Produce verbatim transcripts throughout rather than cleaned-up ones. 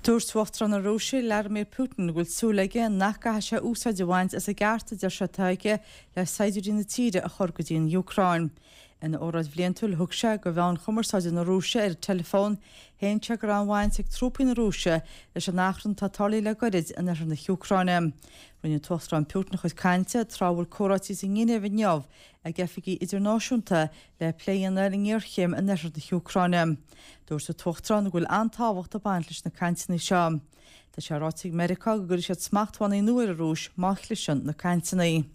Dúirt Uachtarán na Rúise Vladimir Putin go bhfuil súil aige nach gcaithfidh sé úsáid a bhaint as an gceart a deir sé atá aige le saighdiúirí na tíre a chur go dtí an Úcráin. Ina óráid bhliantúil thug sé do mheáin chumarsáide na Rúise ar an teileafón, shéan sé go raibh aon bhaint ag trúpaí na Rúise leis an achrann atá tarlaithe le gairid in oirthear na hÚcráine. Rinne an tUachtarán Putin a chuid cainte tráth a bhfuil comhráití sa nGinéiv inniu ag oifigigh idirnáisiúnta le plé a dhéanamh ar an ngéarchéim in oirthear na hÚcráine. Dúirt an tUachtarán go bhfuil an-tábhacht ag baint leis na cainteanna seo. Tá sé ráite ag Meiriceá go gcuirfidh siad smachtbhannaí nua ar an Rúis má chliseann na cainteanna.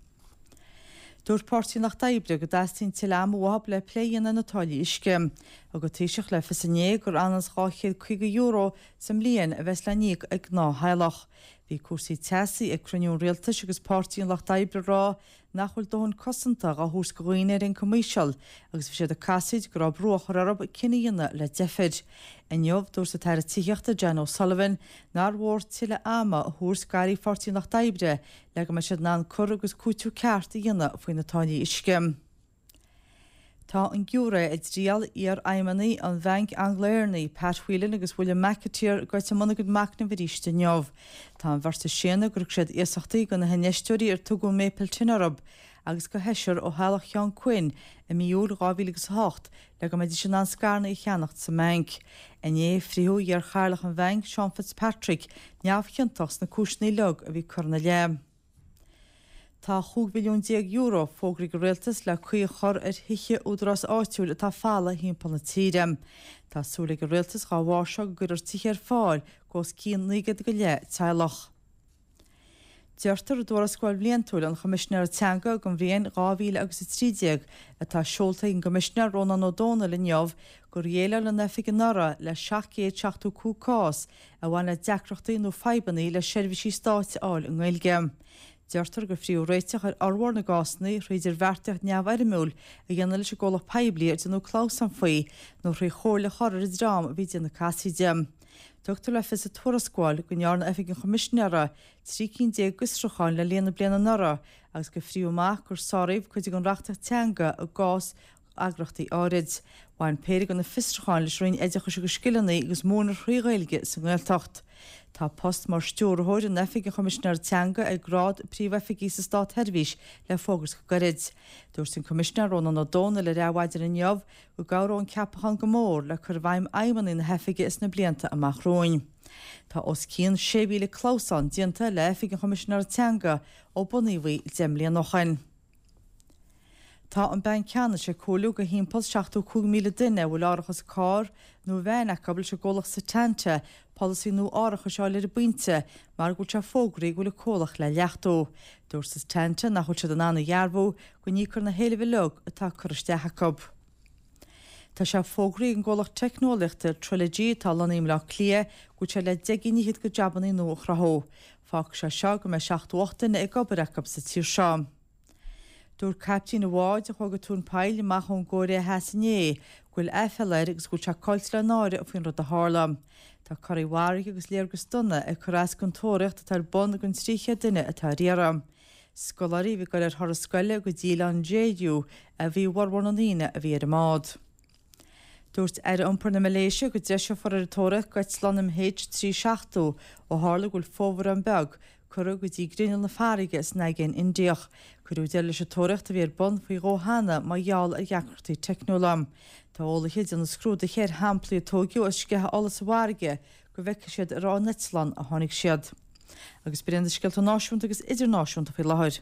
Dúirt Páirtí an Lucht Oibre go dteastaíonn tuilleadh ama uathu le plé a dhéanamh ar na táillí uisce. Thug an Taoiseach le fios inné gur anuas dhá chéad caoga euro sa mbliain a bheas le n-íoc ag gnáth-theaghlach. Bhí cúrsaí teasaí ag cruinniú an rialtais agus Páirtí an Lucht Oibre ag rá nach bhfuil dóthain cosanta á thabhairt do dhaoine ar ioncam íseal agus bhí siad ag casaoid go raibh brú á chur orthu cinneadh a dhéanamh le deifir. Inniu, dúirt an tAire Tithíochta Jan O'Sullivan nár mhór tuilleadh ama a thabhairt d'airí Pháirtí an Lucht Oibre le go mbeidh siad in ann cur agus cúiteamh ceart a dhéanamh faoi na táillí uisce. Tá an giúiré i dtriail iarfheidhmeannaigh an Bhainc Angla-Éireannaigh, Pat Whelan agus William McAteer, gaibhte i mbun a gcuid machnaimh arís inniu. Tá an bheirt ag séanadh gur thug siad iasachtaí do na hinfheisteoirí ar tugadh Maple Ten orthu agus do sheisear ó theaghlach Sheáin Quinn i mí Iúil dhá mhíle agus a hocht le go mbeidís in ann scaireanna a cheannacht sa mbanc. Inné, frítheadh iar-chathaoirleach an bhainc, Seán Fitzpatrick, neamhchiontach sna cúiseanna uilig a bhí curtha ina leith. Tá chúig mhilliún déag euro fógraithe ag an Rialtas le caoi a chur ar thithe údarás áitiúil atá folamh thimpeall na tíre. Tá súil ag an Rialtas dhá bharr seo go gcuirfear tithe ar fáil do os cionn naoi gcéad go leith teaghlach. Deirtear i dtuarascáil bhliantúil an Choimisinéara Teanga don bhliain dhá mhíle agus a trí déag atá seolta ag an gCoimisinéir Rónán Ó Domhnaill inniu gur dhéileáil an oifig anuraidh le seacht gcéad seachtó cúig cás a bhain le deacrachtaí nó fadhbanna le seirbhísí stáit a fháil i nGaeilge. Deirtear gur frítheadh réiteach ar fhormhór na gcásanna thrí idirbheartaíocht neamhfhoirmiúil a dhéanamh leis an gcomhlacht poiblí ar déanadh clamhsán faoi nó thrí chomhairle a chur ar an dream a bhí ag déanamh casaoide. Tugtar le fios sa tuarascáil go ndearna Oifig an Choimisinéara trí cinn déag d'fhiosrúcháin le linn na bliana anuraidh agus gur frítheadh amach gur sáraíodh cuid den reachtaíocht teanga i gcás eagraíochtaí áirid. Bhain péire de na fiosrúcháin leis an Roinn Oideachais agus Scileanna agus múineadh thrí Ghaeilge sa nGaeltacht. Tá post mar stiúrthóir in Oifig an Choimisinéara Teanga ag grád príomhoifigigh sa Státsheirbhís le fógairt go gairid. Dúirt an Coimisinéir Rónán Ó Domhnaill ar Adhmhaidin inniu go gcabhróidh an ceapachán go mór le cur i bhfeidhm aidhmeanna na hoifige sna blianta amach romhainn. Tá os cionn sé mhíle clamhsán déanta le Oifig an Choimisinéara Teanga ó bunaíodh í deich mbliana ó shin. Tá an Banc Ceannais ag comhairliú do thimpeall seachtó cúig míle duine a bhfuil árachas cairr nó veain acu leis an gcomhlacht Setanta polasaí nua árachais a fháil ar an bpointe mar go bhfuil sé fógraithe go bhfuil an comhlacht le leachtú. Dúirt Setanta nach bhfuil siad in ann a dhearbhú go n-íocfar na héilimh uilig atá curtha isteach acu. Tá sé fógraithe ag an gcomhlacht teicneolaíochta Trilogy atá lonnaithe i mBleá Cliath go bhfuil sé le deich gcinn fhichead de jabannaí nua a chruthú. Fágfaidh sé seo go mbeidh seachtó ocht duine ag obair acu sa tír seo. Dúirt caiptín an bháid a chuaigh go tóin poill amach ón gCóiré Theas inné go bhfuil aiféala air agus go bhfuil sé caillte le náire faoin rud a tharla. Tá corraí mharaithe agus léargas dona ag cur as don tóraíocht atá ar bun don trí chéad duine atá ar iarraidh. Scoláirí a bhí ag dul ar thuras scoile go dtí oileán Jeju a bhí i bhformhór na ndaoine a bhí ar an mbád. Dúirt Aire Iompair na Malaeisia go dtreiseofar ar an tóraíocht d'eitleán M H trí seachtó ó tharla go bhfuil fomhuireán beag curtha go dtí grinneall na farraige san Aigéan Indiach. Cuireadh deireadh leis an tóraíocht a bhí ar bun faoi dhó cheana mar gheall ar dheacrachtaí teicniúla. Tá eolaithe ag déanamh scrúduithe ar shamplaí a tóigeadh as sceitheadh ola sa bhfarraige go bhfeicfidh siad ar ón eitleán a tháinig siad. Agus b'in iad na scéalta náisiúnta agus idirnáisiúnta faoi láthair.